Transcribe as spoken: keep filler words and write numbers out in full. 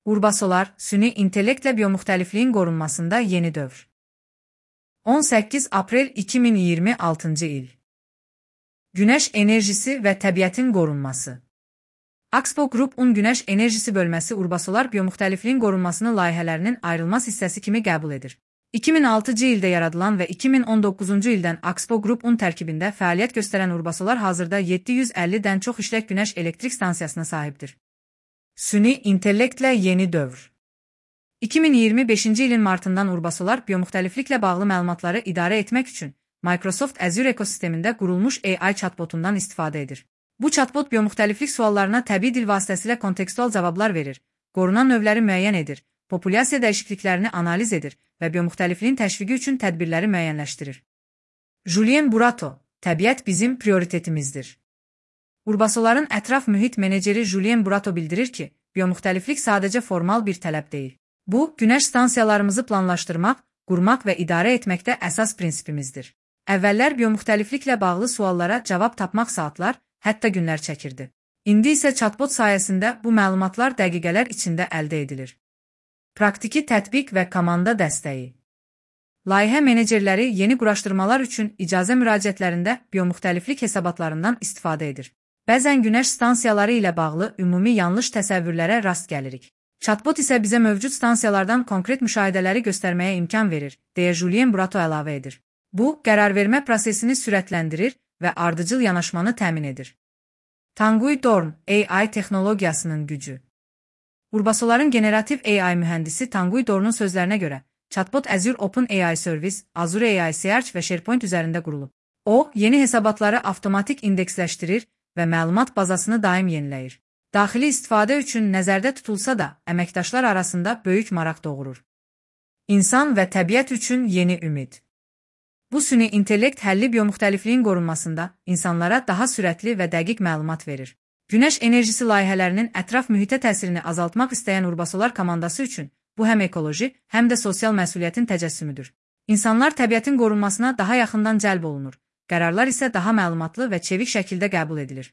Urbasolar, süni intellektlə biomuxtəlifliyin qorunmasında yeni dövr. on səkkiz aprel iki min iyirmi altıncı il. Günəş enerjisi və təbiətin qorunması. Axpo Group-un Günəş enerjisi bölməsi Urbasolar biomuxtəlifliyin qorunmasını layihələrinin ayrılmaz hissəsi kimi qəbul edir. iki min altıncı ildə yaradılan və iki min on doqquzuncu ildən Axpo Group-un tərkibində fəaliyyət göstərən Urbasolar hazırda yeddi yüz əllidən çox işlək günəş elektrik stansiyasına sahibdir. Süni intellektlə yeni dövr. iki min iyirmi beşinci ilin martından Urbasolar biomuxtəlifliklə bağlı məlumatları idarə etmək üçün Microsoft Azure ekosistemində qurulmuş A I chatbotundan istifadə edir. Bu chatbot biomuxtəliflik suallarına təbii dil vasitəsilə kontekstual cavablar verir, qorunan növləri müəyyən edir, populyasiya dəyişikliklərini analiz edir və biomuxtəlifliyin təşviqi üçün tədbirləri müəyyənləşdirir. Julien Burato, təbiət bizim prioritetimizdir. Urbasoların ətraf mühit meneceri Julien Burato bildirir ki, biomuxtəliflik sadəcə formal bir tələb deyil. Bu, günəş stansiyalarımızı planlaşdırmaq, qurmaq və idarə etməkdə əsas prinsipimizdir. Əvvəllər biomuxtəlifliklə bağlı suallara cavab tapmaq saatlar, hətta günlər çəkirdi. İndi isə chatbot sayəsində bu məlumatlar dəqiqələr içində əldə edilir. Praktiki tətbiq və komanda dəstəyi. Layihə menecerləri yeni quraşdırmalar üçün icazə müraciətlərində biomuxtəliflik hesabatlarından istifadə edir. Bəzən günəş stansiyaları ilə bağlı ümumi yanlış təsəvvürlərə rast gəlirik. Chatbot isə bizə mövcud stansiyalardan konkret müşahidələri göstərməyə imkan verir, deyə Julien Burato əlavə edir. Bu, qərarvermə prosesini sürətləndirir və ardıcıl yanaşmanı təmin edir. Tanguy Dorn, A I texnologiyasının gücü. Urbasoların generativ A I mühəndisi Tanguy Dorn'un sözlərinə görə, chatbot Azure Open A I Service, Azure A I Search və SharePoint üzərində qurulub. O, yeni hesabatları avtomatik indeksləşdirir və məlumat bazasını daim yeniləyir. Daxili istifadə üçün nəzərdə tutulsa da, əməkdaşlar arasında böyük maraq doğurur. İnsan və təbiət üçün yeni ümid. Bu süni intellekt həlli biomuxtəlifliyin qorunmasında insanlara daha sürətli və dəqiq məlumat verir. Günəş enerjisi layihələrinin ətraf mühitə təsirini azaltmaq istəyən Urbasolar komandası üçün bu həm ekoloji, həm də sosial məsuliyyətin təcəssümüdür. İnsanlar təbiətin qorunmasına daha yaxından cəlb olunur, qərarlar isə daha məlumatlı və çevik şəkildə qəbul edilir.